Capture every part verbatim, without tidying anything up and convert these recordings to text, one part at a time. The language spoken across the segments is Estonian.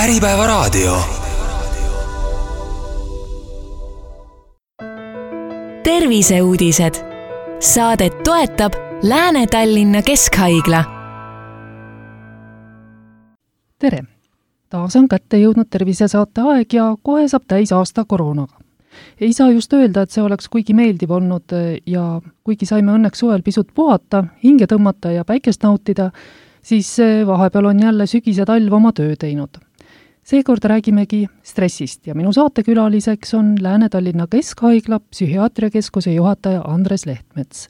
Äripäevaraadio. Terviseuudised. Saadet toetab Lääne-Tallinna Keskhaigla. Tere! Taas on kätte jõudnud tervisesaate aeg ja kohe saab täis aasta koroonaga. Ei saa just öelda, et see oleks kuigi meeldiv olnud ja kuigi saime õnneks suvel pisut puhata, hinge tõmmata ja päikest nautida, siis vahepeal on jälle sügis ja talv oma töö teinud. Seekord räägimegi stressist ja minu saatekülaliseks on Lääne-Tallinna Keskhaigla psühhiaatriakeskuse juhataja Andres Lehtmets.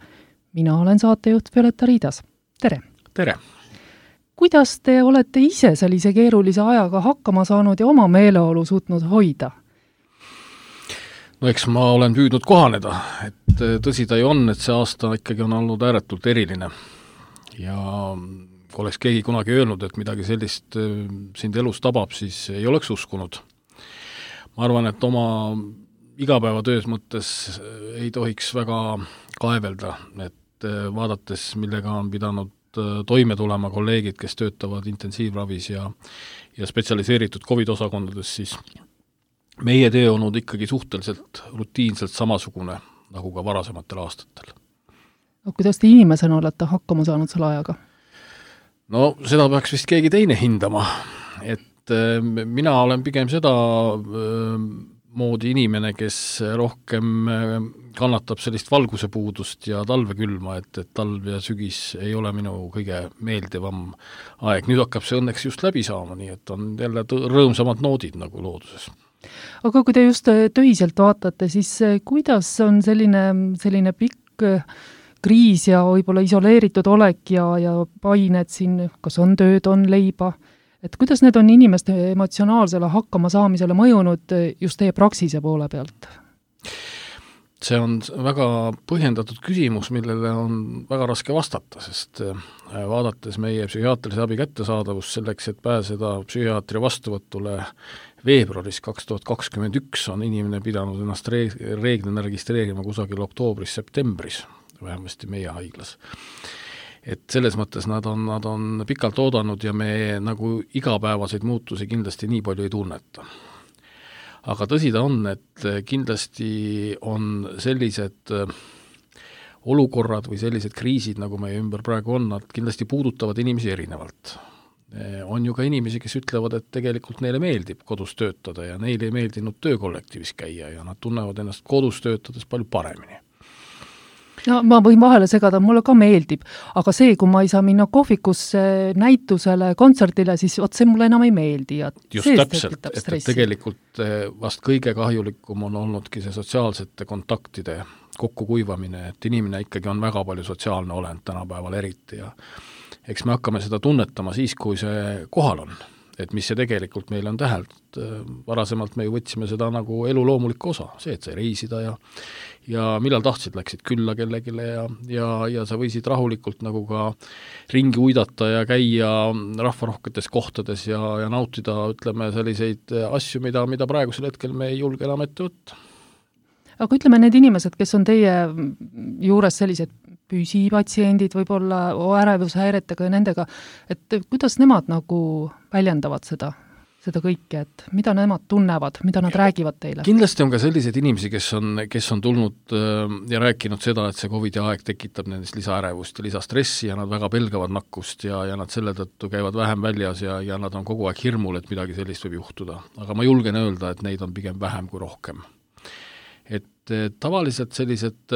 Mina olen saatejuht Violeta Riidas. Tere! Tere! Kuidas te olete ise sellise keerulise ajaga hakkama saanud ja oma meeleolu suutnud hoida? No eks ma olen püüdnud kohaneda, et tõsi ta ju on, et see aasta ikkagi on olnud ääretult eriline. Ja kui oleks keegi kunagi öelnud, et midagi sellist sind elus tabab, siis ei oleks uskunud. Ma arvan, et oma igapäevatöös mõttes ei tohiks väga kaevelda, et vaadates, millega on pidanud toime tulema kolleegid, kes töötavad intensiivravis ja, ja spetsialiseeritud COVID-osakondades, siis meie töö on olnud ikkagi suhteliselt rutiinselt samasugune nagu ka varasematel aastatel. No, kuidas te inimesena olete hakkama saanud selle ajaga? No seda peaks vist keegi teine hindama, et äh, mina olen pigem seda äh, moodi inimene, kes rohkem kannatab sellist valguse puudust ja talvekülma, et, et talv ja sügis ei ole minu kõige meeldivam aeg. Nüüd hakkab see õnneks just läbi saama, nii et on jälle rõõmsamad noodid nagu looduses. Aga kui te just töiselt vaatate, siis kuidas on selline, selline pikk kriis ja võib-olla isoleeritud olek ja, ja pained siin, kas on tööd, on leiba? Et kuidas need on inimeste emotsionaalsele hakkama saamisele mõjunud just teie praksise poole pealt? See on väga põhjendatud küsimus, millele on väga raske vastata, sest vaadates meie psühhiaatrilise abi kättesaadavust selleks, et pääseda psühhiaatri vastuvõtule veebruaris kaks tuhat kakskümmend üks on inimene pidanud ennast reeglina registreerima kusagil oktoobris-septembris, vähemasti meie haiglas. Et selles mõttes nad on, nad on pikalt oodanud ja me nagu igapäevaseid muutusi kindlasti nii palju ei tunneta. Aga tõsi ta on, et kindlasti on sellised olukorrad või sellised kriisid, nagu meie ümber praegu on, nad kindlasti puudutavad inimesi erinevalt. On ju ka inimesi, kes ütlevad, et tegelikult neile meeldib kodus töötada ja neile ei meeldinud töökollektiivis käia ja nad tunnevad ennast kodus töötades palju paremini. No, ma võin vahele segada, mulle ka meeldib, aga see, kui ma ei saa minna kohvikusse näitusele, kontserdile, siis oot, see mulle enam ei meeldi. Ja just täpselt, et, et tegelikult vast kõige kahjulikum on olnudki see sotsiaalsete kontaktide kokkukuivamine, et inimene ikkagi on väga palju sotsiaalne olend tänapäeval eriti ja eks me hakkame seda tunnetama siis, kui see kohal on. Et mis see tegelikult meil on tähelt. Varasemalt me ju võtsime seda nagu elu loomulikku osa, see, et sai reisida ja, ja millal tahtsid, läksid külla kellegile ja, ja, ja sa võisid rahulikult nagu ka ringi uidata ja käia rahvarohketes kohtades ja, ja nautida, ütleme, selliseid asju, mida, mida praegusel hetkel me ei julge enam ette võtta. Aga ütleme, need inimesed, kes on teie juures sellised püsipatsiendid, võib-olla ärevushäiretega ja nendega, et kuidas nemad nagu väljendavad seda, seda kõike, et mida nemad tunnevad, mida nad räägivad teile? Kindlasti on ka selliseid inimesi, kes on, kes on tulnud ja rääkinud seda, et see COVID-i aeg tekitab nendest lisaärevust ja lisastressi ja nad väga pelgavad nakkust ja, ja nad selle tõttu käivad vähem väljas ja, ja nad on kogu aeg hirmul, et midagi sellist võib juhtuda. Aga ma julgen öelda, et neid on pigem vähem kui rohkem. Et tavaliselt sellised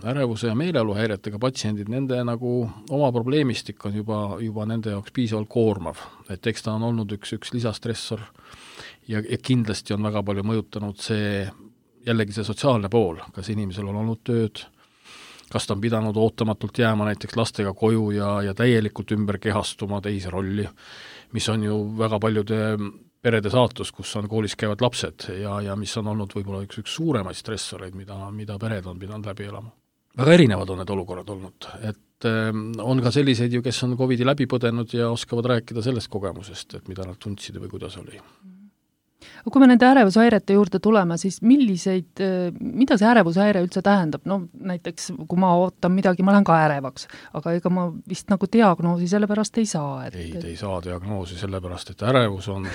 ärevuse ja meeleoluhäiretega patsiendid, nende nagu oma probleemistik on juba, juba nende jaoks piisavalt koormav. Et eks ta on olnud üks, üks lisastressor ja, ja kindlasti on väga palju mõjutanud see, jällegi see sotsiaalne pool, kas inimesel on olnud tööd, kas ta on pidanud ootamatult jääma näiteks lastega koju ja, ja täielikult ümber kehastuma teise rolli, mis on ju väga paljude perede saatus, kus on koolis käivad lapsed ja, ja mis on olnud võib-olla üks, üks suuremaid stressoreid, mida, mida pered on pidanud läbi elama. Väga erinevad on need olukorrad olnud, et äh, on ka selliseid ju, kes on COVID-i läbi põdenud ja oskavad rääkida sellest kogemusest, et mida nad tundsid või kuidas oli. Kui me nende ärevushäirete juurde tuleme, siis milliseid, mida see ärevushäire üldse tähendab? No näiteks, kui ma ootan midagi, ma lähen ka ärevaks, aga ega ma vist nagu diagnoosi sellepärast ei saa. Et... ei, te ei saa diagnoosi sellepärast, et ärevus on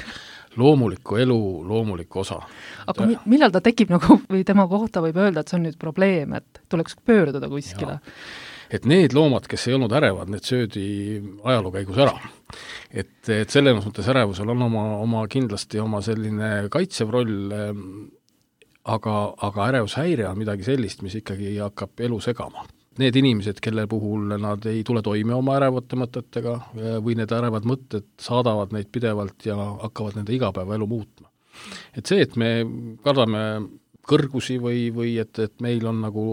loomuliku elu loomulik osa. Aga mi- millal ta tekib nagu, või tema kohta võib öelda, et see on nüüd probleem, et tuleks pöörduda kuskile? Ja. Et need loomad, kes ei olnud ärevad, need söödi ajaloo käigus ära. Et, et selles mõttes ärevusel on oma, oma kindlasti oma selline kaitsev roll, aga, aga ärevushäire on midagi sellist, mis ikkagi hakkab elu segama. Need inimesed, kelle puhul nad ei tule toime oma ärevate mõtetega või need ärevad mõtted saadavad neid pidevalt ja hakkavad nende igapäevaelu muutma. Et see, et me kardame kõrgusi või, või et, et meil on nagu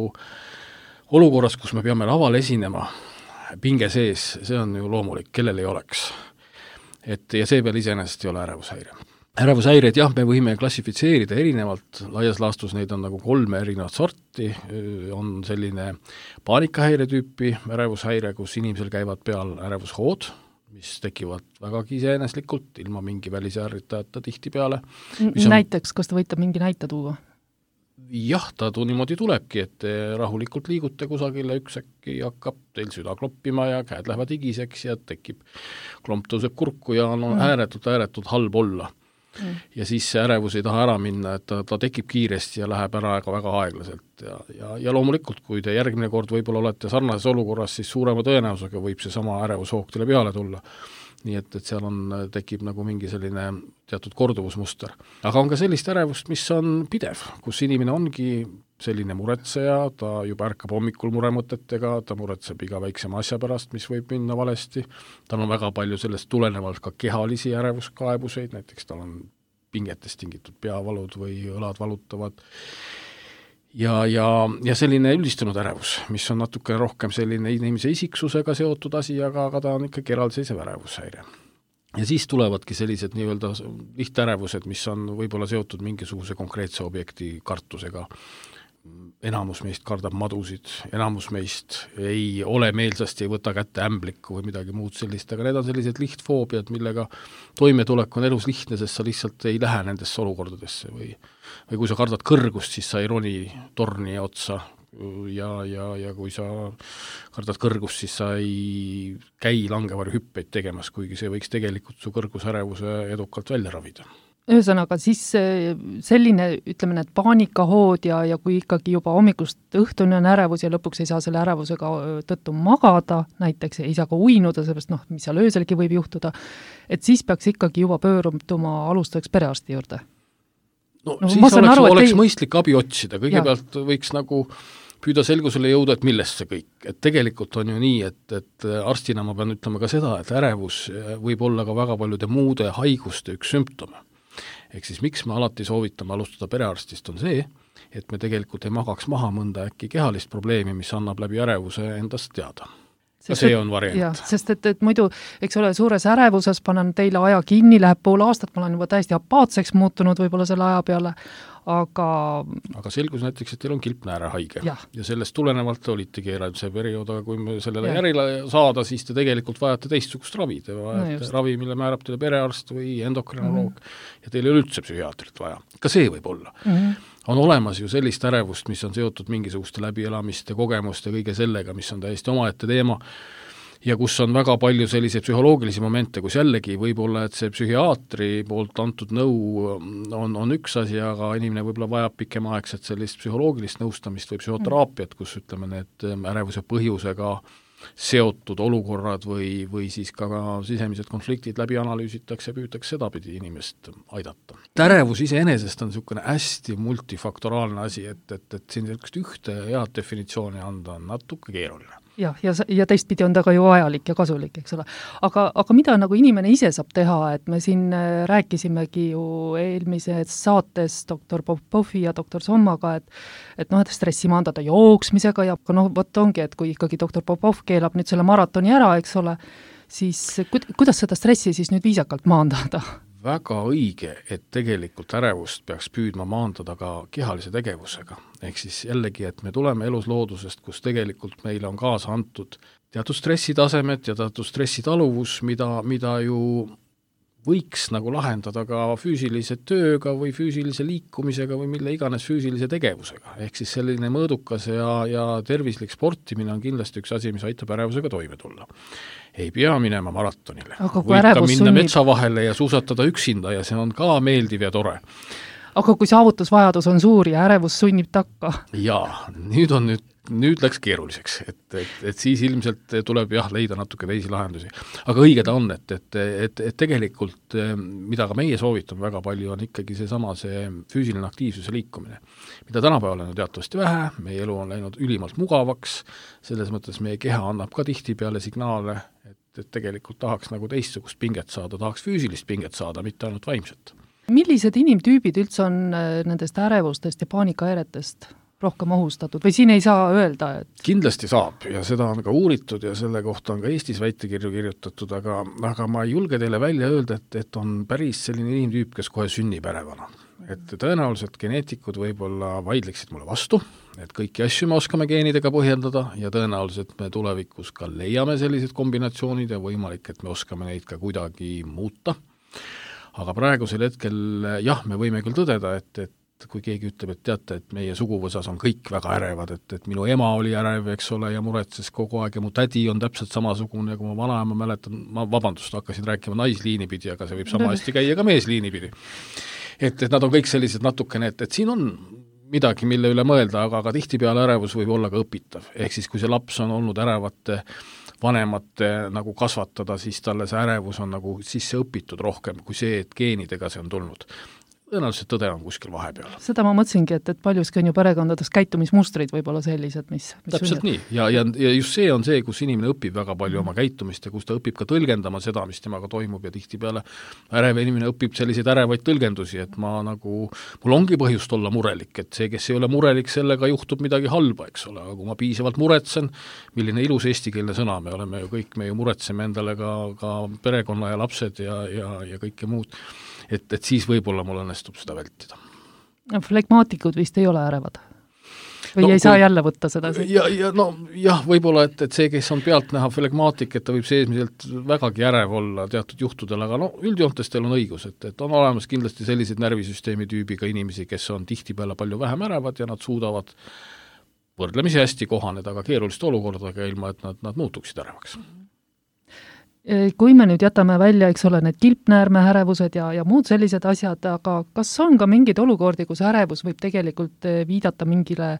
olukorras, kus me peame laval esinema, pinge sees, see on ju loomulik, kellel ei oleks. Et, ja see peal iseenesest ei ole ärevushäire. Ärevushäired, jah, me võime klassifitseerida erinevalt, laias laastus neid on nagu kolme erinevat sorti, on selline paanikahäire tüüpi ärevushäire, kus inimesel käivad peal ärevushood, mis tekivad vägagi iseeneslikult, ilma mingi välise ärritajata tihti peale. On... Näiteks, kas ta võite mingi näite tuua? Jah, ta tuu niimoodi tulebki, et te rahulikult liigute kusagile, üks äkki hakkab teil süda kloppima ja käed lähevad higiseks ja tekib, klomp tõuseb kurku ja on mm. ääretult, ääretult halb olla. Mm. Ja siis see ärevus ei taha ära minna, et ta, ta tekib kiiresti ja läheb ära väga aeglaselt. Ja, ja, ja loomulikult, kui te järgmine kord võib-olla olete sarnases olukorras, siis suurema tõenäosusega võib see sama ärevushoog teile peale tulla. Nii et, et seal on, tekib nagu mingi selline teatud korduvusmuster. Aga on ka sellist ärevust, mis on pidev, kus inimene ongi selline muretseja, ta juba ärkab hommikul muremõtetega, ta muretseb iga väiksema asja pärast, mis võib minna valesti. Tal on väga palju sellest tulenevalt ka kehalisi ärevuskaebuseid, näiteks tal on pingetest tingitud peavalud või õlad valutavad. Ja, ja, ja selline üldistunud ärevus, mis on natuke rohkem selline inimese isiksusega seotud asi, aga, aga ta on ikkagi eraldiseisev ärevushäire. Ja siis tulevadki sellised nii-öelda lihtärevused, mis on võib-olla seotud mingisuguse konkreetse objekti kartusega. Enamus meist kardab madusid, enamus meist ei ole meelsasti, ei võta kätte ämblikku või midagi muud sellist, aga need on sellised lihtfoobiad, millega toimetulek on elus lihtne, sest sa lihtsalt ei lähe nendesse olukordadesse või, või kui sa kardad kõrgust, siis sa ei roni torni otsa ja, ja, ja kui sa kardad kõrgust, siis sa ei käi langevari hüppeid tegemas, kuigi see võiks tegelikult su kõrgusärevuse edukalt välja ravida. Ühesõnaga, siis selline, ütleme, need paanikahood ja, ja kui ikkagi juba hommikust õhtuni on ärevus ja lõpuks ei saa selle ärevusega tõttu magada, näiteks ei saa ka uinuda, sellest noh, mis seal ööselgi võib juhtuda, et siis peaks ikkagi juba pöörutuma alustuseks perearsti juurde. No, no siis oleks, aru, oleks ei... mõistlik abi otsida, kõigepealt ja. Võiks nagu püüda selgusele jõuda, et millest see kõik. Et tegelikult on ju nii, et, et arstina ma pean ütlema ka seda, et ärevus võib olla ka väga paljude muude haiguste üks sümptome. Ehk siis miks me alati soovitame alustada perearstist on see, et me tegelikult ei magaks maha mõnda äkki kehalist probleemi, mis annab läbi ärevuse endast teada. Ja see on variant. Jah, sest et, et muidu, eks ole, suures ärevuses panen teile aja kinni, läheb pool aastat, ma olen juba täiesti apaatseks muutunud võib-olla selle aja peale, aga... Aga selgus näiteks, et teil on kilpnääre haige ja, ja sellest tulenevalt olitegi see periood, aga kui me sellele ja. Järile saada, siis te tegelikult vajate teistsugust ravi, te vajate no ravi, mille määrab teile perearst või endokrinoloog mm-hmm. ja teil ei ole üldse psühhiaatrit vaja. Ka see võib olla. Mm-hmm. On olemas ju sellist ärevust, mis on seotud mingisuguste läbielamiste, kogemuste, kõige sellega, mis on täiesti omaette teema ja kus on väga palju selliseid psühholoogilisi momente, kus jällegi võib-olla, et see psühhiaatri poolt antud nõu on, on üks asi, aga inimene võib-olla vajab pikemaaegset sellist psühholoogilist nõustamist või psühhoteraapiat, kus ütleme need ärevuse põhjusega seotud olukorrad või, või siis ka sisemised konfliktid läbi analüüsitakse ja püütakse sedapidi inimest aidata. Ärevus iseenesest on niisugune hästi multifaktoraalne asi, et, et, et siin ühte head definitsiooni anda on natuke keeruline. Jah, ja, ja teistpidi on ta ka ju vajalik ja kasulik, eks ole. Aga, aga mida nagu inimene ise saab teha, et me siin rääkisimegi ju eelmises saates doktor Popovi ja doktor Sommaga, et, et noh, et stressi maandada jooksmisega ja noh, võt ongi, et kui ikkagi doktor Popov keelab nüüd selle maratoni ära, eks ole, siis kuidas seda stressi siis nüüd viisakalt maandada? Väga õige, et tegelikult ärevust peaks püüdma maandada ka kehalise tegevusega. Ehk siis jällegi, et me tuleme elus loodusest, kus tegelikult meile on kaasa antud teatud stressitasemed ja teatud stressitaluvus, mida, mida ju võiks nagu lahendada ka füüsilise tööga või füüsilise liikumisega või mille iganes füüsilise tegevusega. Ehk siis selline mõõdukas ja, ja tervislik sportimine on kindlasti üks asi, mis aitab ärevusega toime tulla. Ei pea minema maratonile. Võid ka minna sunnib... metsa vahele ja suusatada üksinda ja see on ka meeldiv ja tore. Aga kui saavutusvajadus on suur ja ärevus sunnib takka? Jaa, nüüd on nüüd nüüd läks keeruliseks, et, et, et siis ilmselt tuleb jah, leida natuke teisi lahendusi. Aga õige ta on, et, et, et, et tegelikult, mida ka meie soovitame väga palju, on ikkagi see sama see füüsiline aktiivsus ja liikumine. Mida tänapäeval on teatavasti vähe, meie elu on läinud ülimalt mugavaks, selles mõttes meie keha annab ka tihtipeale signaale, et, et tegelikult tahaks nagu teistsugust pinget saada, tahaks füüsilist pinget saada, mitte ainult vaimset. Millised inimtüübid üldse on nendest ärevustest ja paanikahäiretest rohkem ohustatud või siin ei saa öelda, et... Kindlasti saab ja seda on ka uuritud ja selle kohta on ka Eestis väitekirju kirjutatud, aga, aga ma ei julge teile välja öelda, et, et on päris selline inimtüüp, kes kohe sünnib ärevana. Et tõenäoliselt geneetikud võib-olla vaidleksid mulle vastu, et kõiki asju me oskame geenidega põhjendada ja tõenäoliselt me tulevikus ka leiame sellised kombinatsioonid ja võimalik, et me oskame neid ka kuidagi muuta. Aga praegusel hetkel jah, me võime küll tõdeda, et, et kui keegi ütleb, et teate, et meie suguvõsas on kõik väga ärevad, et, et minu ema oli ärev, eks ole, ja muretses kogu aeg ja mu tädi on täpselt samasugune, kui ma vanaema mäletan, ma vabandust, hakkasin rääkima naisliini pidi, aga see võib sama hästi käia ka meesliini pidi. Et, et nad on kõik sellised natukene, et, et siin on midagi, mille üle mõelda, aga, aga tihtipeale ärevus võib olla ka õpitav. Ehk siis, kui see laps on olnud ärevate vanemate nagu kasvatada, siis talle see ärevus on nagu sisse õpitud rohkem kui see, et geenidega see on tulnud. Tõenäoliselt tõde on kuskil vahepeal. Seda ma mõtlesingi, et, et paljuski on ju perekondades käitumismustrid võib-olla sellised, mis, mis täpselt sünnib. Nii, ja, ja, ja just see on see, kus inimene õpib väga palju oma käitumist ja kus ta õpib ka tõlgendama seda, mis temaga toimub ja tihtipeale ärev inimene õpib selliseid ärevaid tõlgendusi, et ma nagu, mul ongi põhjust olla murelik, et see, kes ei ole murelik, sellega juhtub midagi halba, eks ole, aga kui ma piisavalt muretsen, milline ilus eestikeelne sõna, me oleme ju kõik, me ju muretseme endale ka, ka perekonna ja lapsed ja, ja, ja kõike muud, et, et siis võib-olla mul õnnestub seda vältida. No, flegmaatikud vist ei ole ärevad? Või no, ei kui, saa jälle võtta seda? Ja, ja no jah, võib-olla, et, et see, kes on pealt näha flegmaatik, et ta võib seesmiselt vägagi ärev olla teatud juhtudel, aga no üldjoontes teil on õigus, et, et on olemas kindlasti sellised närvisüsteemi tüübiga inimesi, kes on tihtipeale palju vähem ärevad ja nad suudavad võrdlemisi hästi kohaneda ka keeruliste olukordadega ilma, et nad, nad muutuksid ärevaks. Kui me nüüd jätame välja, eks ole, need kilpnäärme ärevused ja, ja muud sellised asjad, aga kas on ka mingeid olukordi, kus ärevus võib tegelikult viidata mingile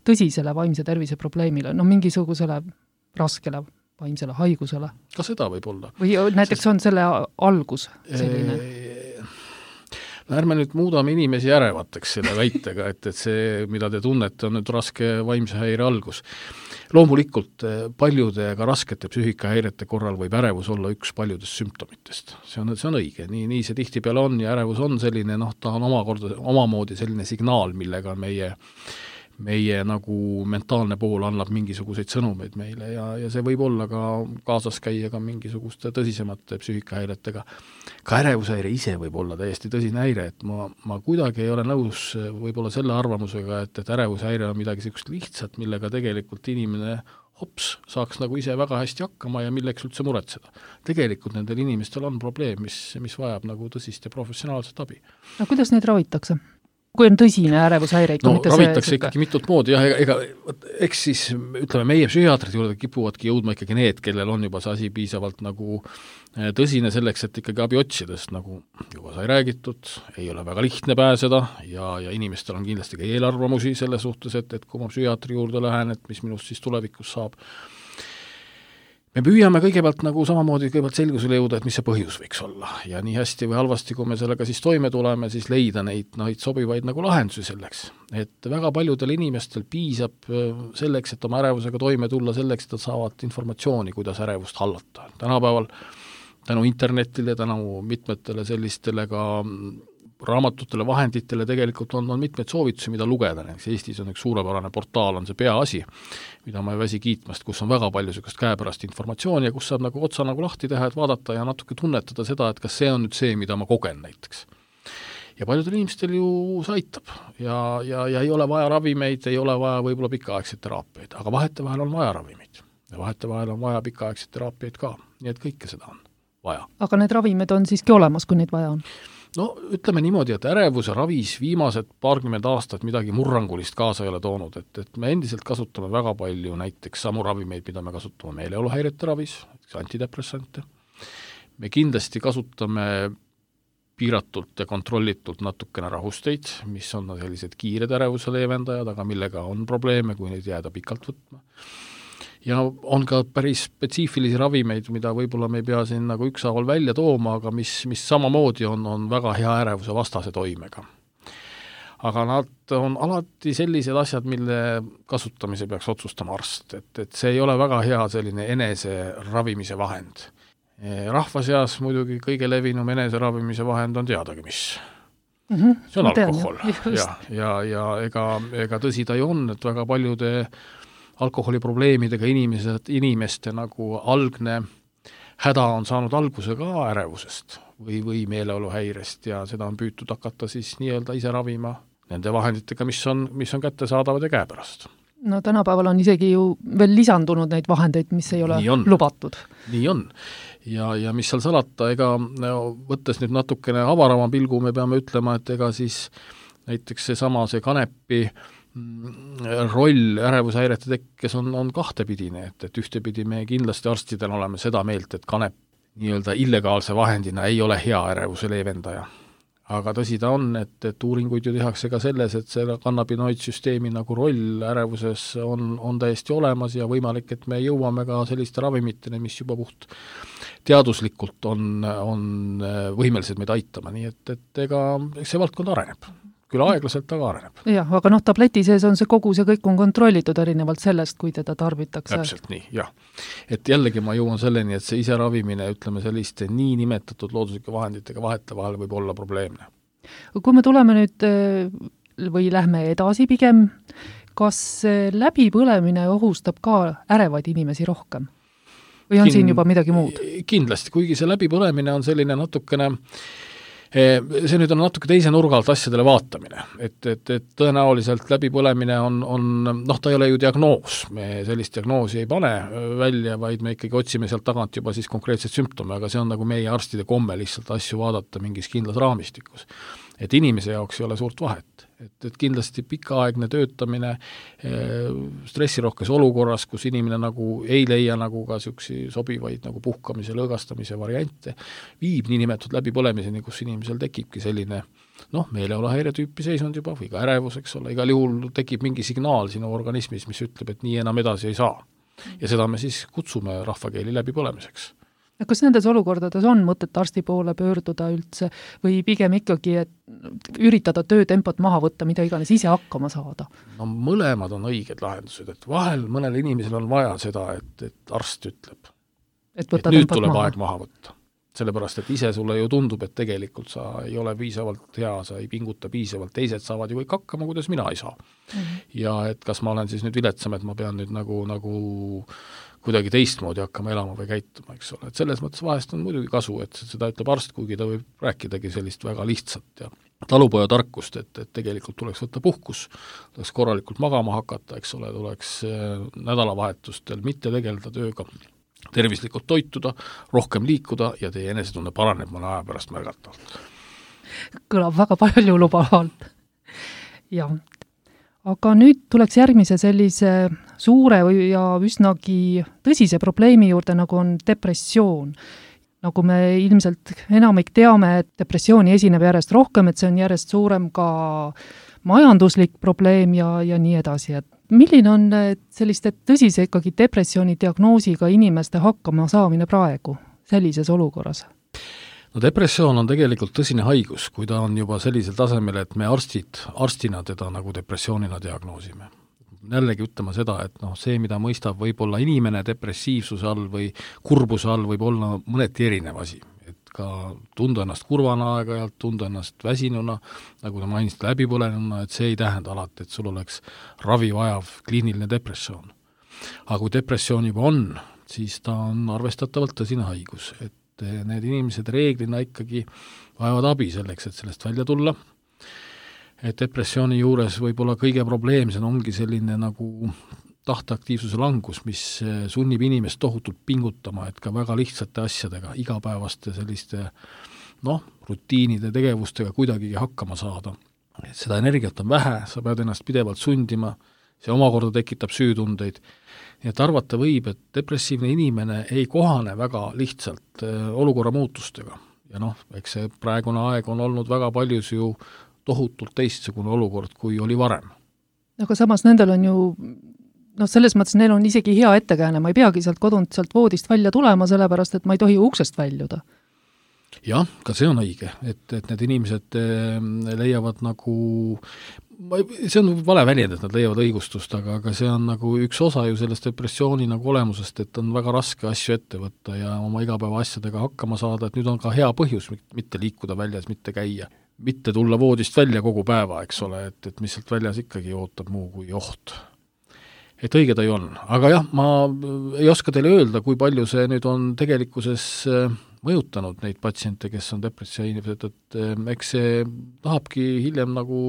tõsisele vaimse tervise probleemile, no mingisugusele raskele vaimsele haigusele? Ka seda võib olla. Või näiteks Sest... on selle algus selline? No ärme nüüd muudame inimesi ärevateks selle väitega, et, et see, mida te tunnete, on nüüd raske vaimse häire algus. Loomulikult paljude ka raskete psüühikahäirete korral võib ärevus olla üks paljudest sümptomitest. See on, see on õige, nii, nii see tihtipeale on ja ärevus on selline, noh, ta on omakorda, omamoodi selline signaal, millega meie meie nagu mentaalne pool annab mingisuguseid sõnumeid meile ja, ja see võib olla ka kaasas käia ka mingisuguste tõsisemate psüühikahäiretega. Ka ärevushäire ise võib olla täiesti tõsine häire, et ma, ma kuidagi ei ole nõus võib-olla selle arvamusega, et, et ärevushäire on midagi sellist lihtsat, millega tegelikult inimene hops saaks nagu ise väga hästi hakkama ja milleks üldse muretseda. Tegelikult nendel inimestel on probleem, mis, mis vajab nagu tõsist ja professionaalset abi. No kuidas neid ravitakse? Kui on tõsine ärevushäire ikka, no, mitte ravitakse see... ikkagi mitut moodi, jah, ega, ega eks siis, ütleme, meie psühhiaatrid juurde kipuvadki jõudma ikkagi need, kellel on juba see asi piisavalt nagu tõsine selleks, et ikkagi abi otsidest, nagu juba sai räägitud, ei ole väga lihtne pääseda ja, ja inimestel on kindlasti ka eelarvamusi selle suhtes, et, et kui ma psühhiaatri juurde lähen, et mis minust siis tulevikus saab. Me püüame kõigepealt nagu samamoodi kõigepealt selgusele jõuda, et mis see põhjus võiks olla ja nii hästi või halvasti, kui me sellega siis toime tuleme, siis leida neid, neid sobivaid nagu lahendusi selleks. Et väga paljudel inimestel piisab selleks, et oma ärevusega toime tulla, selleks, et nad saavad informatsiooni, kuidas ärevust hallata. Tänapäeval tänu internetile, tänu mitmetele sellistele ka raamatutele, vahenditele tegelikult on, on mitmeid soovitusi, mida lugeda. Näiteks Eestis on üks suurepärane portaal, on see Peaasi, mida ma ei väsi kiitmast, kus on väga palju sellist käepärast informatsiooni ja kus saab nagu otsa nagu lahti teha, et vaadata ja natuke tunnetada seda, et kas see on nüüd see, mida ma kogen näiteks. Ja paljudel inimestel ju see aitab ja, ja, ja ei ole vaja ravimeid, ei ole vaja võib-olla pikaaegseid teraapiaid, aga vahetevahel on vaja ravimeid ja vahetevahel on vaja pikaaegseid teraapiaid ka, nii et kõike seda on vaja. Aga need ravimid on siiski olemas, kui neid vaja on? No ütleme niimoodi, et ärevuse ravis viimased paarkümmend aastat midagi murrangulist kaasa ei ole toonud, et, et me endiselt kasutame väga palju näiteks samu ravimeid, mida me kasutame meeleoluhäirete ravis, antidepressante. Me kindlasti kasutame piiratult ja kontrollitult natukene rahusteid, mis on sellised kiired ärevuse leevendajad, aga millega on probleeme, kui neid jääda pikalt võtma. Ja on ka päris spetsiifilisi ravimeid, mida võib-olla me ei pea siin nagu ükshaaval välja tooma, aga mis, mis samamoodi on, on väga hea ärevuse vastase toimega. Aga nad on alati sellised asjad, mille kasutamise peaks otsustama arst, et, et see ei ole väga hea selline enese ravimise vahend. Rahva seas muidugi kõige levinum enese ravimise vahend on teadagi, mis. Mm-hmm. See on alkohol. Ja, ja, ja ega, ega tõsi ta ju on, et väga paljude alkoholiprobleemidega inimesed, inimeste nagu algne häda on saanud alguse ka ärevusest või, või meeleoluhäirest ja seda on püütud hakata siis nii-öelda ise ravima nende vahenditega, mis on, mis on kättesaadavad ja käepärast. No tänapäeval on isegi ju veel lisandunud neid vahendeid, mis ei ole lubatud. Nii on. Ja, ja mis seal salata, ega no, võttes nüüd natukene avarama pilgu, me peame ütlema, et ega siis näiteks see sama see kanepi roll ärevushäirete tekkes on, on kahtepidine, et, et ühtepidi me kindlasti arstidel oleme seda meelt, et kanep nii-öelda illegaalse vahendina ei ole hea ärevuse leevendaja. Aga tõsi ta on, et, et uuringuid ju tehakse ka selles, et see kannabinoidsüsteemi nagu roll ärevuses on, on täiesti olemas ja võimalik, et me jõuame ka selliste ravimitele, mis juba puht teaduslikult on, on võimelised meid aitama, nii et, et ega see valdkond areneb. Küll aeglaselt, aga areneb. Jah, aga noh, tableti sees on see kogu, see kõik on kontrollitud erinevalt sellest, kui teda tarbitakse. Täpselt nii, jah. Et jällegi ma jõuan selleni, et see ise ravimine, ütleme selliste nii nimetatud looduslike vahenditega vahete vahel võib olla probleemne. Kui me tuleme nüüd või lähme edasi pigem, kas läbipõlemine ohustab ka ärevaid inimesi rohkem? Või on Kin- siin juba midagi muud? Kindlasti, kuigi see läbipõlemine on selline natukene see nüüd on natuke teise nurga alt asjadele vaatamine, et, et, et tõenäoliselt läbipõlemine on, on, noh, ta ei ole ju diagnoos, me sellist diagnoosi ei pane välja, vaid me ikkagi otsime sealt tagant juba siis konkreetseid sümptome, aga see on nagu meie arstide komme lihtsalt asju vaadata mingis kindlas raamistikus. Et inimese jaoks ei ole suurt vahet, et, et kindlasti pikaaegne töötamine stressirohkes olukorras, kus inimene nagu ei leia nagu ka süksi sobivaid nagu puhkamise, lõõgastamise variante, viib nii nimetatud läbipõlemiseni, kus inimesel tekibki selline noh, meeleoluhäire tüüpi seisund juba või ka ärevus, eks ole, igal juhul tekib mingi signaal sinu organismis, mis ütleb, et nii enam edasi ei saa. Ja seda me siis kutsume rahvakeeli läbipõlemiseks. Kas nendes olukordades on mõtet arsti poole pöörduda üldse või pigem ikkagi, et üritada töötempot maha võtta, mida iganes ise hakkama saada? No mõlemad on õiged lahendused, et vahel mõnel inimesel on vaja seda, et, et arst ütleb, et, et nüüd tuleb maha. aeg maha võtta. Sellepärast, et ise sulle ju tundub, et tegelikult sa ei ole piisavalt hea, sa ei pinguta piisavalt, teised saavad ju kõik hakkama, kuidas mina ei saa. Mm-hmm. Ja et kas ma olen siis nüüd viletsam, et ma pean nüüd nagu, nagu kuidagi teistmoodi hakkama elama või käituma, eks ole. Et selles mõttes vahest on muidugi kasu, et seda ütleb arst, kuigi ta võib rääkidagi sellist väga lihtsat ja talupoja tarkust, et, et tegelikult tuleks võtta puhkus, tuleks korralikult magama hakata, eks ole, tuleks nädalavahetustel mitte tegeleda tööga, tervislikult toituda, rohkem liikuda ja teie enesetunne paraneb mõne aja pärast märgatavalt. Kõlab väga palju lubavalt. Ja. Aga nüüd tuleks järgmise sellise suure ja üsnagi tõsise probleemi juurde, nagu on depressioon. Nagu me ilmselt enamik teame, et depressiooni esineb järjest rohkem, et see on järjest suurem ka majanduslik probleem ja, ja nii edasi. Et milline on selliste tõsise ikkagi depressiooni diagnoosiga inimeste hakkama saamine praegu sellises olukorras? No depressioon on tegelikult tõsine haigus, kui ta on juba sellisel tasemel, et me arstid, arstina teda nagu depressioonina diagnoosime. Jällegi ütlema seda, et noh, see, mida mõistab võib-olla inimene depressiivsuse all või kurbuse all, võib olla mõneti erinev asi. Et ka tunda ennast kurvana aeg-ajalt, tunda ennast väsinuna, nagu ta mainisite läbipõlenuna, et see ei tähenda alati, et sul oleks ravi vajav kliiniline depressioon. Aga kui depressioon juba on, siis ta on arvestatavalt tõsine haigus, et need inimesed reeglina ikkagi vajavad abi selleks, et sellest välja tulla. Et depressiooni juures võib-olla kõige probleemsem ongi selline nagu tahteaktiivsuse langus, mis sunnib inimest tohutult pingutama, et ka väga lihtsate asjadega, igapäevaste selliste noh, rutiinide tegevustega kuidagigi hakkama saada. Et seda energiat on vähe, sa pead ennast pidevalt sundima, see omakorda tekitab süütundeid. Nii et arvata võib, et depressiivne inimene ei kohane väga lihtsalt olukorra muutustega. Ja noh, eks see praegune aeg on olnud väga paljus ju tohutult teistsugune olukord, kui oli varem. Aga samas nendel on ju, noh, selles mõttes neil on isegi hea ettekääne, ma ei peagi sealt kodunt sealt voodist välja tulema, sellepärast, et ma ei tohi uksest väljuda. Jah, ka see on õige, et, et need inimesed leiavad nagu, see on vale väljend, et nad leiavad õigustust, aga, aga see on nagu üks osa ju sellest depressiooni nagu olemusest, et on väga raske asju ette võtta ja oma igapäeva asjadega hakkama saada, et nüüd on ka hea põhjus mitte liikuda väljas, mitte käia, mitte tulla voodist välja kogu päeva, eks ole, et, et mis sealt väljas ikkagi ootab muu kui oht. Et õige ta ju on. Aga jah, ma ei oska teile öelda, kui palju see nüüd on tegelikkuses mõjutanud neid patsiente, kes on depressiivsed, et eks see tahabki hiljem nagu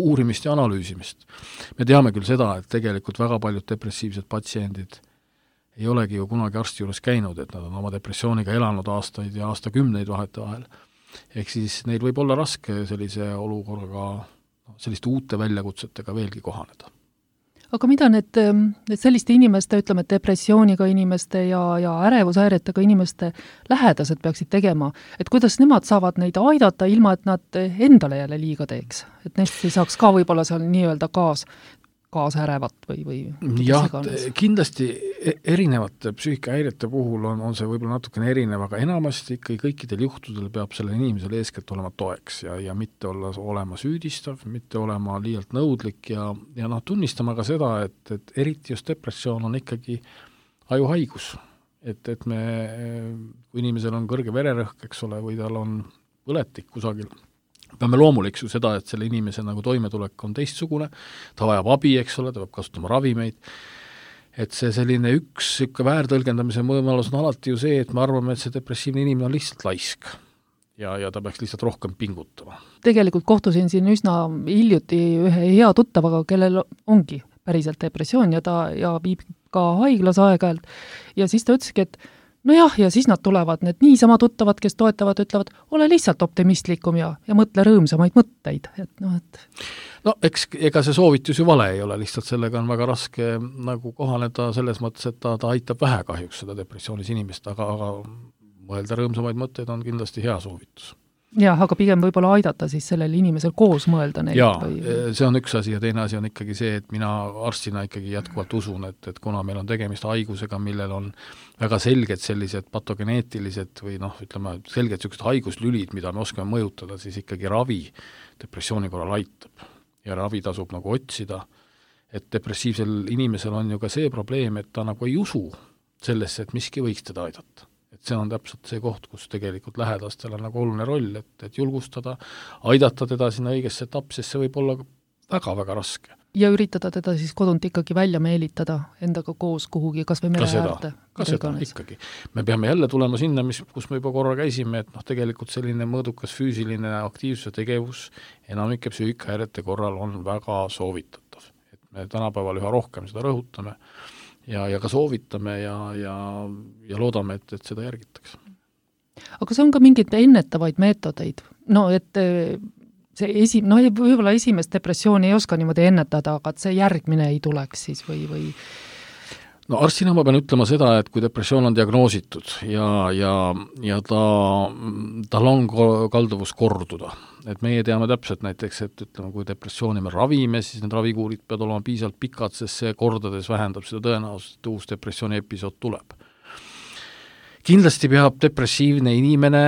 uurimist ja analüüsimist. Me teame küll seda, et tegelikult väga paljud depressiivsed patsiendid ei olegi ju kunagi arsti juures käinud, et nad on oma depressiooniga elanud aastaid ja aastakümneid vahetevahel. Ehk siis neil võib olla raske sellise olukorraga, selliste uute väljakutsetega veelgi kohaneda. Aga mida need, need selliste inimeste, ütleme, depressiooniga inimeste ja, ja ärevushäiretega inimeste lähedased peaksid tegema, et kuidas nemad saavad neid aidata, ilma et nad endale jälle liiga teeks? Et neist ei saaks ka võib-olla seal nii-öelda kaas, kaasärevat või, või jah, kindlasti erinevate psüühikahäirete puhul on, on see võib-olla natukene erinev, aga enamasti ikkagi kõikidel juhtudel peab selle inimesele eeskätt olema toeks ja, ja mitte olla olema süüdistav, mitte olema liialt nõudlik ja, ja noh, tunnistama ka seda, et, et eriti just depressioon on ikkagi ajuhaigus. Et, et me, kui inimesel on kõrge vererõhk, eks ole, või tal on põletik kusagil, peame loomuliks ju seda, et selle inimese nagu toimetulek on teistsugune, ta vajab abi, eks ole, ta peab kasutama ravimeid, et see selline üks ikka väärtõlgendamise võimalus on alati ju see, et me arvame, et see depressiivne inimene on lihtsalt laisk ja, ja ta peaks lihtsalt rohkem pingutama. Tegelikult kohtusin siin üsna hiljuti ühe hea tuttavaga, kellel ongi päriselt depressioon ja ta ja viib ka haiglas aeg-ajalt ja siis ta ütleski, et no jah, ja siis nad tulevad, need niisama tuttavad, kes toetavad, ütlevad, ole lihtsalt optimistlikum ja, ja mõtle rõõmsamaid mõtteid. Et noh, et... no eks ega see soovitus ju vale ei ole, lihtsalt sellega on väga raske nagu kohaneda selles mõttes, et ta, ta aitab vähe kahjuks seda depressioonis inimest, aga, aga mõelda rõõmsamaid mõtteid on kindlasti hea soovitus. Jah, aga pigem võib-olla aidata siis sellel inimesel koos mõelda neid. Jaa, või... see on üks asi ja teine asi on ikkagi see, et mina arstina ikkagi jätkuvalt usun, et, et kuna meil on tegemist haigusega, millel on väga selged sellised patogeneetilised või noh, ütleme, selged sellised haiguslülid, mida me oskame mõjutada, siis ikkagi ravi depressiooni korral aitab. Ja ravi tasub nagu otsida, et depressiivsel inimesel on ju ka see probleem, et ta nagu ei usu sellesse, et miski võiks teda aidata. Et see on täpselt see koht, kus tegelikult lähedastel on nagu oluline roll, et, et julgustada, aidata teda sinna õigesse etappi, sest see võib olla väga-väga raske. Ja üritada teda siis kodunt ikkagi välja meelitada endaga koos kuhugi, kas või mere äärde. Ka seda ikkagi. Me peame jälle tulema sinna, mis, kus me juba korra käisime, et noh, tegelikult selline mõõdukas füüsiline aktiivsuse tegevus enamike psüühikahäirete korral on väga soovitatav. Et me tänapäeval üha rohkem seda rõhutame ja, ja ka soovitame ja, ja, ja loodame, et, et seda järgitakse. Aga see on ka mingid ennetavaid meetodeid. No, et see esi, no võib-olla esimest depressiooni ei oska niimoodi ennetada, aga et see järgmine ei tuleks siis või, või... No arstina ma pean ütlema seda, et kui depressioon on diagnoositud ja, ja, ja ta, tal on kalduvus korduda, et meie teame täpselt näiteks, et ütleme, kui depressiooni me ravime, siis need ravikuurid peavad olema piisavalt pikad, sest see kordades vähendab seda tõenäosust, et uus depressiooni episood tuleb. Kindlasti peab depressiivne inimene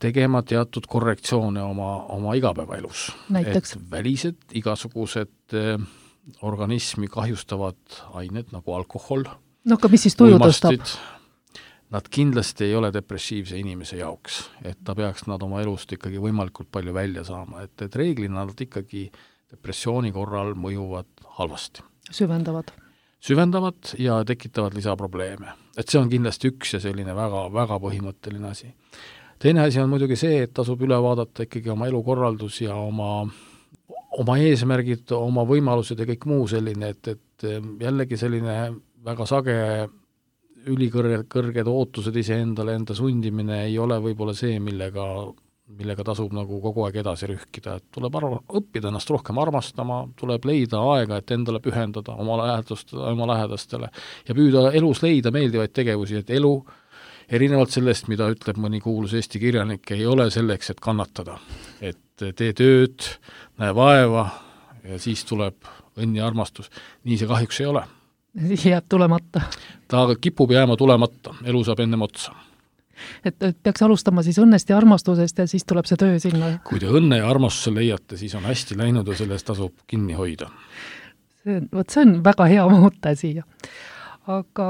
tegema teatud korrektsioone oma, oma igapäevaelus. Näiteks? Et välised igasugused eh, organismi kahjustavad ained nagu alkohol, no aga mis siis tuju tõstab? Nad kindlasti ei ole depressiivse inimese jaoks, et ta peaks nad oma elust ikkagi võimalikult palju välja saama, et, et reeglina nad ikkagi depressiooni korral mõjuvad halvasti. Süvendavad. Süvendavad ja tekitavad lisaprobleeme. Et see on kindlasti üks ja selline väga, väga põhimõtteline asi. Teine asi on muidugi see, et tasub üle vaadata ikkagi oma elukorraldus ja oma, oma eesmärgid, oma võimalused ja kõik muu selline, et, et et jällegi selline väga sage ülikõrged kõrged ootused iseendale, enda sundimine ei ole võib-olla see, millega, millega tasub nagu kogu aeg edasi rühkida, et tuleb arva, õppida ennast rohkem armastama, tuleb leida aega, et endale pühendada oma lähedast, oma lähedastele ja püüda elus leida meeldivaid tegevusi, et elu erinevalt sellest, mida ütleb mõni kuulus Eesti kirjanik, ei ole selleks, et kannatada. Et tee tööd, näe vaeva ja siis tuleb õnn ja armastus. Nii see kahjuks ei ole. Jääb tulemata. Ta kipub jääma tulemata, elu saab ennem otsa. Et, et peaks alustama siis õnnest ja armastusest ja siis tuleb see töö sinna. Kui te õnne ja armastuse leiate, siis on hästi läinud ja sellest tasub kinni hoida. See, võt, see on väga hea mõte siia. Aga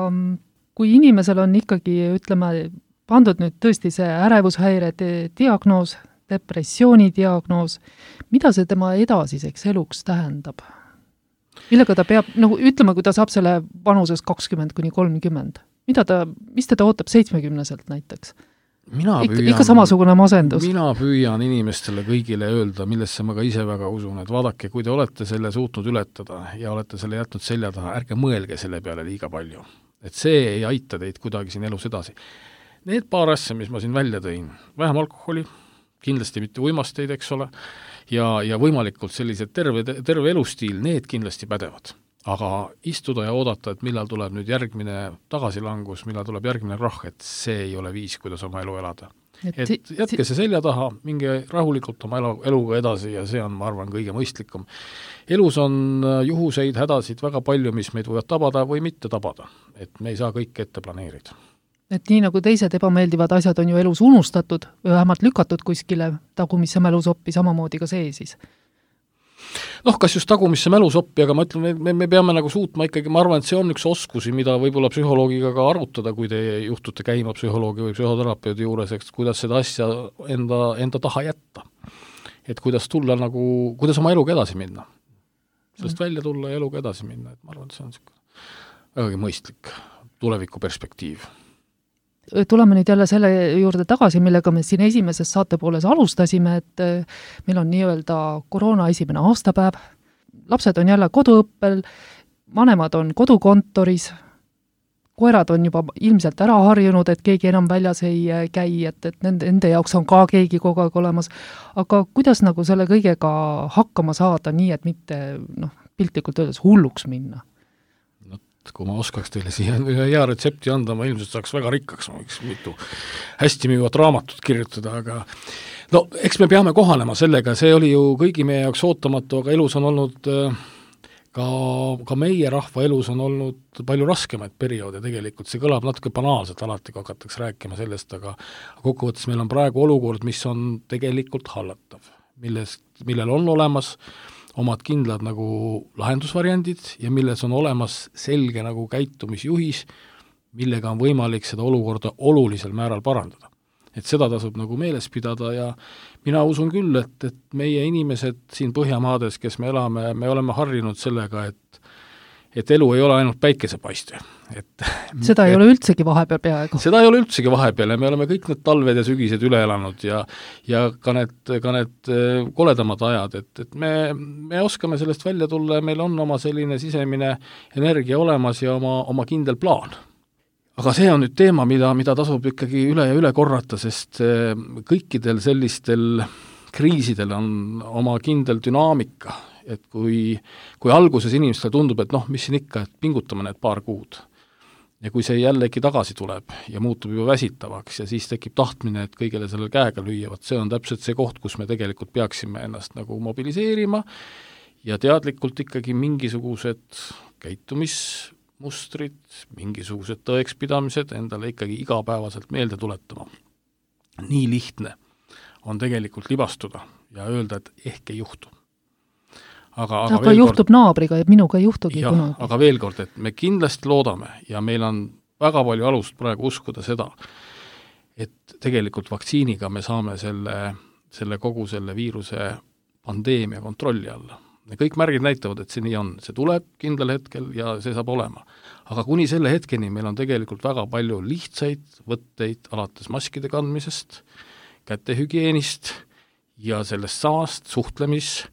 kui inimesel on ikkagi, ütleme, pandud nüüd tõesti see ärevushäire diagnoos, depressiooni diagnoos, mida see tema edasiseks eluks tähendab? Millega ta peab, nagu ütleme, kui ta saab selle vanuses kakskümmend kuni kolmkümmend, mida ta, mis teda ootab seitsmekümneselt näiteks? Mina püüan, ikka samasugune masendus. Mina püüan inimestele kõigile öelda, millesse ma ka ise väga usun, et vaadake, kui te olete selle suutnud ületada ja olete selle jätnud selja taha, ärge mõelge selle peale liiga palju. Et see ei aita teid kuidagi siin elus edasi. Need paar asja, mis ma siin välja tõin, vähem alkoholi, kindlasti mitte uimasteid, eks ole, ja, ja võimalikult sellised terve, terve elustiil, need kindlasti pädevad. Aga istuda ja oodata, et millal tuleb nüüd järgmine tagasilangus, millal tuleb järgmine krahh, et see ei ole viis, kuidas oma elu elada. Et, et jätke see selja taha, minge rahulikult oma elu, eluga edasi ja see on, ma arvan, kõige mõistlikum. Elus on juhuseid, hädasid väga palju, mis meid võivad tabada või mitte tabada. Et me ei saa kõike ette planeerida. Et nii nagu teised ebameeldivad asjad on ju elus unustatud või vähemalt lükatud kuskile tagumisse mälusoppi, samamoodi ka see siis. Noh, kas just tagumisse mälusoppi, aga ma ütlen, me, me peame nagu suutma ikkagi, ma arvan, et see on üks oskusi, mida võib-olla psühholoogiga ka arutada, kui te juhtute käima psühholoogi või psühhoterapeudi juures, eks, kuidas seda asja enda, enda taha jätta. Et kuidas tulla nagu, kuidas oma eluga edasi minna. Sellest mm. välja tulla ja eluga edasi minna, et ma arvan, et see on vägagi mõistlik tuleviku perspektiiv. Tuleme nüüd jälle selle juurde tagasi, millega me siin esimeses saatepooles alustasime, et meil on nii-öelda koroona esimene aastapäev, lapsed on jälle koduõppel, vanemad on kodukontoris, koerad on juba ilmselt ära harjunud, et keegi enam väljas ei käi, et, et nende, nende jaoks on ka keegi kogu aeg olemas. Aga kuidas nagu selle kõigega hakkama saada nii, et mitte noh, piltlikult öeldes hulluks minna? Kui ma oskaks teile siia hea retsepti anda, ma ilmselt saaks väga rikkaks, ma võiks mitu hästi müüvat raamatut kirjutada, aga no eks me peame kohanema sellega, see oli ju kõigi meie jaoks ootamatu, aga elus on olnud ka, ka meie rahva elus on olnud palju raskemaid perioode tegelikult, see kõlab natuke banaalselt alati, kui hakatakse rääkima sellest, aga kokkuvõttes meil on praegu olukord, mis on tegelikult hallatav, millest, millel on olemas omad kindlad nagu lahendusvariandid ja milles on olemas selge nagu käitumisjuhis, millega on võimalik seda olukorda olulisel määral parandada. Et seda tasub nagu meeles pidada ja mina usun küll, et, et meie inimesed siin Põhjamaades, kes me elame, me oleme harjunud sellega, et et elu ei ole ainult päikesepaiste. Et, seda ei et, ole üldsegi vahepeal peaaegu. Seda ei ole üldsegi vahepeal ja me oleme kõik need talved ja sügised üle elanud ja, ja ka need, ka need koledamad ajad, et, et me, me oskame sellest välja tulla ja meil on oma selline sisemine energia olemas ja oma, oma kindel plaan. Aga see on nüüd teema, mida, mida tasub ikkagi üle ja üle korrata, sest kõikidel sellistel kriisidel on oma kindel dünaamika. Et kui, kui alguses inimestele tundub, et noh, mis siin ikka, et pingutame need paar kuud. Ja kui see jällegi tagasi tuleb ja muutub juba väsitavaks ja siis tekib tahtmine, et kõigele sellel käega lüüavad, see on täpselt see koht, kus me tegelikult peaksime ennast nagu mobiliseerima ja teadlikult ikkagi mingisugused käitumismustrid, mingisugused tõekspidamised endale ikkagi igapäevaselt meelde tuletama. Nii lihtne on tegelikult libastuda ja öelda, et ehk ei juhtu. Aga, aga, aga juhtub kord, naabriga ja minuga ei juhtugi jah, kunagi. Aga veel kord, et me kindlasti loodame ja meil on väga palju alust praegu uskuda seda, et tegelikult vaktsiiniga me saame selle, selle kogu selle viiruse pandeemia kontrolli alla. Ja kõik märgid näitavad, et see nii on. See tuleb kindlal hetkel ja see saab olema. Aga kuni selle hetkeni meil on tegelikult väga palju lihtsaid võtteid alates maskide kandmisest, kätehügieenist ja sellest samast suhtlemis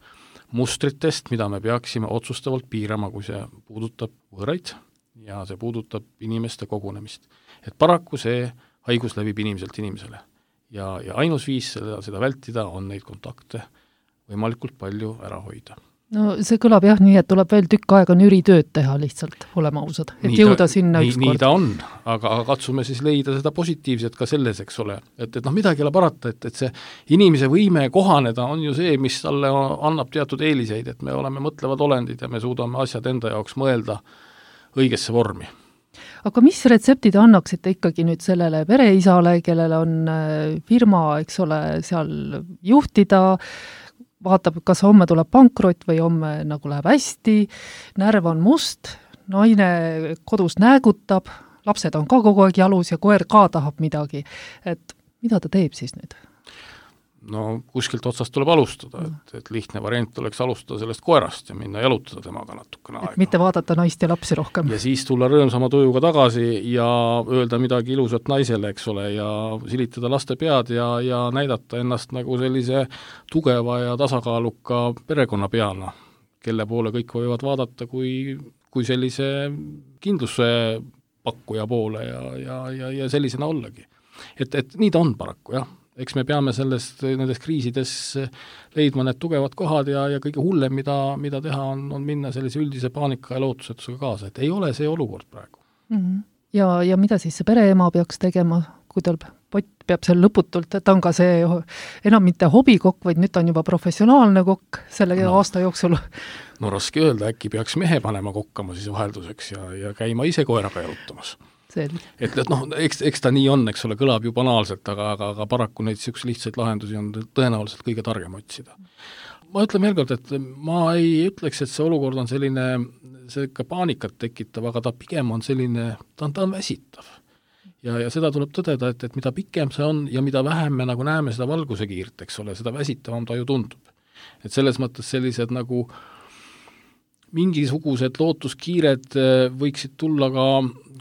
mustritest, mida me peaksime otsustavalt piirama, kui see puudutab võõraid ja see puudutab inimeste kogunemist. Et paraku see haigus levib inimeselt inimesele. Ja, ja ainus viis seda, seda vältida on neid kontakte võimalikult palju ära hoida. No see kõlab jah nii, et tuleb veel tükk aega nüritööd teha lihtsalt, oleme ausad, et nii jõuda ta, sinna nii, ükskord. Nii ta on, aga, aga katsume siis leida seda positiivset ka selles, eks ole. Et, et noh, midagi ei ole parata, et, et see inimese võime kohaneda on ju see, mis talle annab teatud eeliseid, et me oleme mõtlevad olendid ja me suudame asjad enda jaoks mõelda õigesse vormi. Aga mis retseptid annaksite ikkagi nüüd sellele pereisale, kellel on firma, eks ole, seal juhtida, vaatab, kas homme tuleb pankrot või homme nagu läheb hästi, närv on must, naine kodus näägutab, lapsed on ka kogu aeg jalus ja koer ka tahab midagi. Et mida ta teeb siis nüüd? No kuskilt otsast tuleb alustada, et, et lihtne variant oleks alustada sellest koerast ja minna jalutada temaga natukene aega. Mitte vaadata naist ja lapsi rohkem. Ja siis tulla rõõmsama tujuga tagasi ja öelda midagi ilusat naisele, eks ole, ja silitada laste pead ja, ja näidata ennast nagu sellise tugeva ja tasakaaluka perekonna peana, kelle poole kõik võivad vaadata kui, kui sellise kindluse pakkuja poole ja, ja, ja, ja sellisena ollagi. Et, et nii ta on paraku, jah. Eks me peame sellest, nendes kriisides leidma need tugevad kohad ja, ja kõige hullem, mida, mida teha, on, on minna sellise üldise paanika ja lootusetusega kaasa, et ei ole see olukord praegu. Mm-hmm. Ja, ja mida siis see pereema peaks tegema, kui tal pott peab seal lõputult, et ta on ka see enam mitte hobikokk, vaid nüüd on juba professionaalne kokk selle no. aasta jooksul? No raske öelda, äkki peaks mehe panema kokkama siis vahelduseks ja, ja käima ise koeraga jalutamas. Selge. Et, et noh, eks, eks ta nii on, eks ole, kõlab ju banaalselt, aga, aga, aga paraku neid siukse lihtsaid lahendusi on tõenäoliselt kõige targem otsida. Ma ütlen veel kord, et ma ei ütleks, et see olukord on selline, see ikka paanikat tekitav, aga ta pigem on selline, ta on, ta on väsitav. Ja, ja seda tuleb tõdeda, et, et mida pikem see on ja mida vähem me nagu näeme seda valguse kiirt, eks ole, seda väsitavam ta ju tundub. Et selles mõttes sellised nagu mingisugused lootuskiired võiksid tulla ka,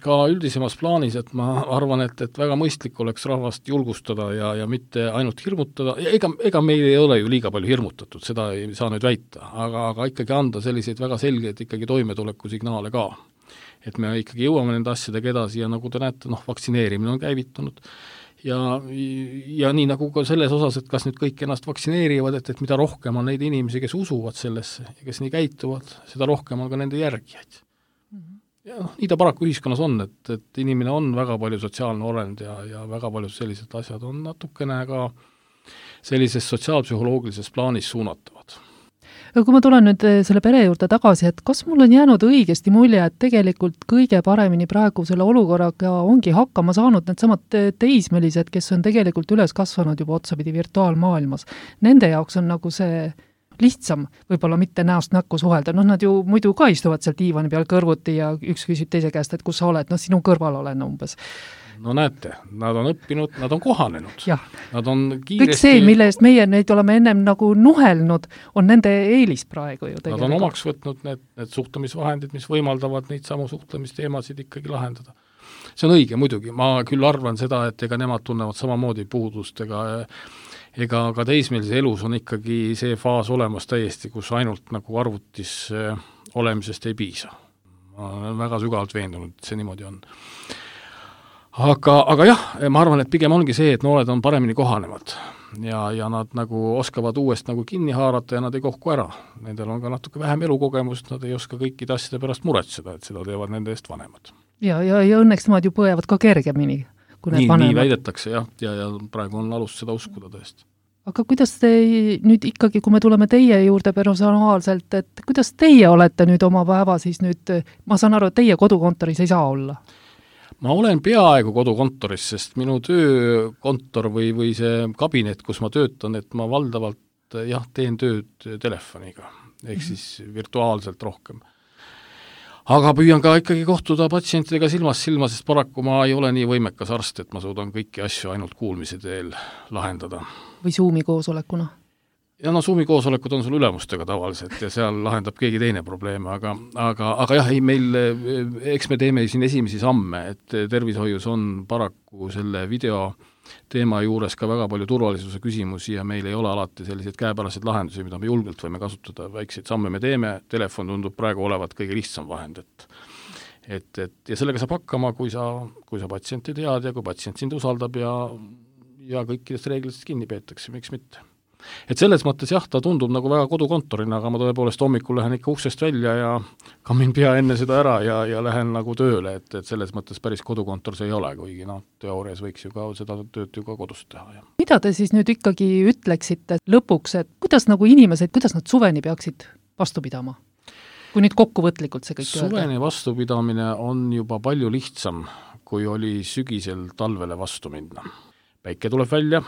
ka üldisemas plaanis, et ma arvan, et, et väga mõistlik oleks rahvast julgustada ja, ja mitte ainult hirmutada, ega, ega meil ei ole ju liiga palju hirmutatud, seda ei saa nüüd väita, aga, aga ikkagi anda selliseid väga selgeid ikkagi toimetuleku signaale ka. Et me ikkagi jõuame nende asjadega edasi ja nagu te näete, noh, vaktsineerimine on käivitunud ja, ja nii nagu ka selles osas, et kas nüüd kõik ennast vaktsineerivad, et, et mida rohkem on neid inimesi, kes usuvad sellesse ja kes nii käituvad, seda rohkem on ka nende järgijaid. Mm-hmm. Ja noh, nii ta paraku ühiskonnas on, et, et inimene on väga palju sotsiaalne olend ja, ja väga palju sellised asjad on natukene ka sellises sotsiaalpsühholoogilises plaanis suunatavad. Ja kui ma tulen nüüd selle pere juurde tagasi, et kas mul on jäänud õigesti mulje, et tegelikult kõige paremini praegu selle olukorraga ongi hakkama saanud need samad teismelised, kes on tegelikult üles kasvanud juba otsapidi virtuaalmaailmas. Nende jaoks on nagu see lihtsam, võib-olla mitte näost näkku suhelda. Noh, nad ju muidu ka istuvad seal diivani peal kõrvuti ja üks küsib teise käest, et kus sa oled, noh, sinu kõrval olen umbes. No näete, nad on õppinud, nad on kohanenud. Nad on kiiresti... Kõik see, mille eest meie neid oleme ennem nagu nuhelnud, on nende eelis praegu ju tegelikult. Nad on omaks võtnud need, need suhtlemisvahendid, mis võimaldavad neid samu suhtlemisteemasid ikkagi lahendada. See on õige muidugi, ma küll arvan seda, et ega nemad tunnevad samamoodi puudust, ega, ega ka teismelise elus on ikkagi see faas olemas täiesti, kus ainult nagu arvutis olemisest ei piisa. Ma olen väga sügavalt veendunud, et see niimoodi on. Aga, aga jah, ma arvan, et pigem ongi see, et noored on paremini kohanevad ja, ja nad nagu oskavad uuest nagu kinni haarata ja nad ei kohku ära. Nendel on ka natuke vähem elukogemust, nad ei oska kõikide asjade pärast muretseda, et seda teevad nende eest vanemad. Ja, ja, ja õnneks nemad ju põevad ka kergemini, kui need nii, vanemad. Nii väidetakse jah, ja, ja praegu on alust seda uskuda tõesti. Aga kuidas te nüüd ikkagi, kui me tuleme teie juurde personaalselt, et kuidas teie olete nüüd oma päeva siis nüüd, ma saan aru, et teie kodukontoris ei saa olla? Ma olen peaaegu kodukontoris, sest minu töökontor või, või see kabinet, kus ma töötan, et ma valdavalt jah, teen tööd telefoniga, ehk siis virtuaalselt rohkem. Aga püüan ka ikkagi kohtuda patsientidega silmast silma, sest paraku ma ei ole nii võimekas arst, et ma suudan kõiki asju ainult kuulmise teel lahendada. Või Zoomi koosolekuna? Ja no Zoomi koosolekud on sul ülemustega tavaliselt ja seal lahendab keegi teine probleeme, aga, aga, aga jah, ei meil, eks me teeme siin esimesi samme, et tervishoius on paraku selle video teema juures ka väga palju turvalisuse küsimusi ja meil ei ole alati selliseid käepäraseid lahendusi, mida me julgelt võime kasutada, väikseid samme me teeme, telefon tundub praegu olevat kõige lihtsam vahend, et et, et ja sellega saab hakkama, kui sa, kui sa patsienti tead ja kui patsient sind usaldab ja, ja kõikidest reeglitest kinni peetakse, miks mitte. Et selles mõttes jah, ta tundub nagu väga kodukontorina, aga ma tõepoolest hommikul lähen ikka uksest välja ja kammin pea enne seda ära ja, ja lähen nagu tööle, et, et selles mõttes päris kodukontor see ei ole, kuigi noh, teoorias võiks ju ka seda tööd ju ka kodust teha. Ja. Mida te siis nüüd ikkagi ütleksite lõpuks, et kuidas nagu inimesed, kuidas nad suveni peaksid vastu pidama? Kui nüüd kokkuvõtlikult see kõik suveni öelda? Vastupidamine on juba palju lihtsam, kui oli sügisel talvele vastu minna. Päike tuleb välja,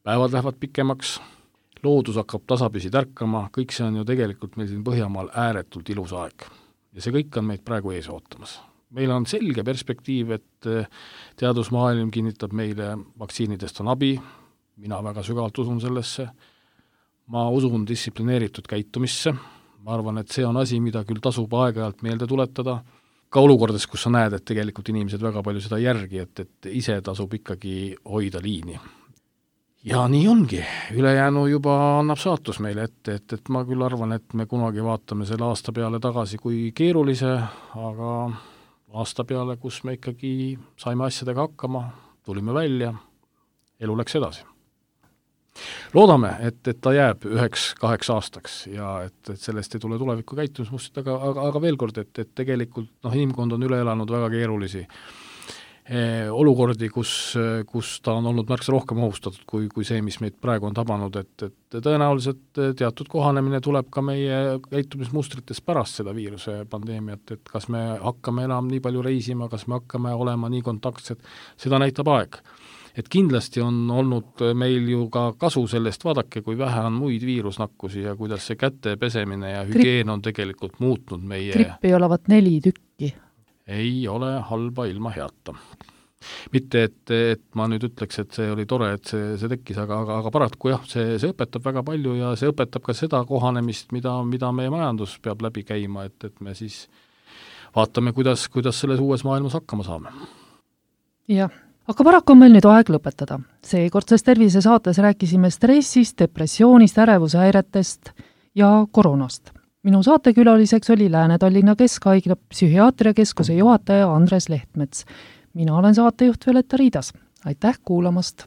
päevad lähevad pikemaks, loodus hakkab tasapisi tärkama, kõik see on ju tegelikult meil siin Põhjamaal ääretult ilus aeg. Ja see kõik on meid praegu ees ootamas. Meil on selge perspektiiv, et teadusmaailm kinnitab meile, vaktsiinidest on abi, mina väga sügavalt usun sellesse, ma usun distsiplineeritud käitumisse, ma arvan, et see on asi, mida küll tasub aeg-ajalt meelde tuletada, ka olukordades, kus sa näed, et tegelikult inimesed väga palju seda järgi, et, et ise tasub ikkagi hoida liini. Ja nii ongi, ülejäänu juba annab saatus meile ette, et, et ma küll arvan, et me kunagi vaatame selle aasta peale tagasi kui keerulise, aga aasta peale, kus me ikkagi saime asjadega hakkama, tulime välja, elu läks edasi. Loodame, et, et ta jääb üheks kaheks aastaks ja et, et sellest ei tule tuleviku käitumismustid, aga, aga, aga veel kord, et, et tegelikult noh, inimkond on üle elanud väga keerulisi olukordi, kus, kus ta on olnud märksa rohkem ohustatud kui, kui see, mis meid praegu on tabanud, et, et tõenäoliselt teatud kohanemine tuleb ka meie käitumismustrites pärast seda viiruse pandeemiat, et kas me hakkame enam nii palju reisima, kas me hakkame olema nii kontaktsed, seda näitab aeg. Et kindlasti on olnud meil ju ka kasu sellest, vaadake, kui vähe on muid viirusnakkusi ja kuidas see käte pesemine ja hügieen on tegelikult muutnud meie... Grippi olevat neli tükki. Ei ole halba ilma heata. Mitte, et, et ma nüüd ütleks, et see oli tore, et see, see tekkis, aga, aga, aga paraku jah, see, see õpetab väga palju ja see õpetab ka seda kohanemist, mida, mida meie majandus peab läbi käima, et, et me siis vaatame, kuidas, kuidas selles uues maailmas hakkama saame. Jah, aga paraku on meil nüüd aeg lõpetada. Seekordses tervisesaates rääkisime stressist, depressioonist, ärevusehäiretest ja koroonast. Minu saatekülaliseks oli Lääne-Tallinna Keskhaigla psühhiaatriakeskuse juhataja Andres Lehtmets. Mina olen saatejuht Violetta Riidas. Aitäh kuulamast!